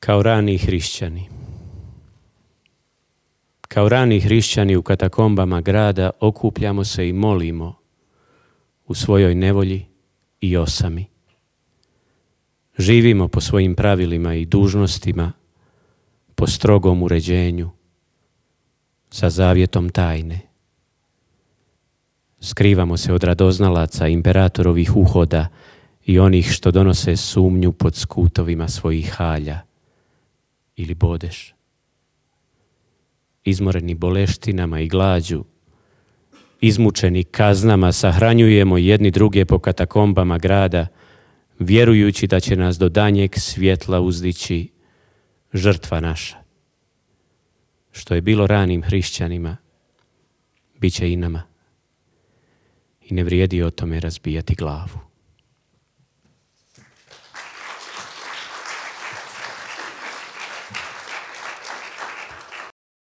Kao rani hrišćani. Kao rani hrišćani u katakombama grada okupljamo se i molimo u svojoj nevolji i osami. Živimo po svojim pravilima i dužnostima, po strogom uređenju, sa zavjetom tajne. Skrivamo se od radoznalaca imperatorovih uhoda i onih što donose sumnju pod skutovima svojih halja ili bodeš. Izmoreni boleštinama i glađu, izmučeni kaznama, sahranjujemo jedni druge po katakombama grada, vjerujući da će nas do danjeg svjetla uzdići žrtva naša. Što je bilo ranim hrišćanima, bit će i nama. I ne vrijedi o tome razbijati glavu.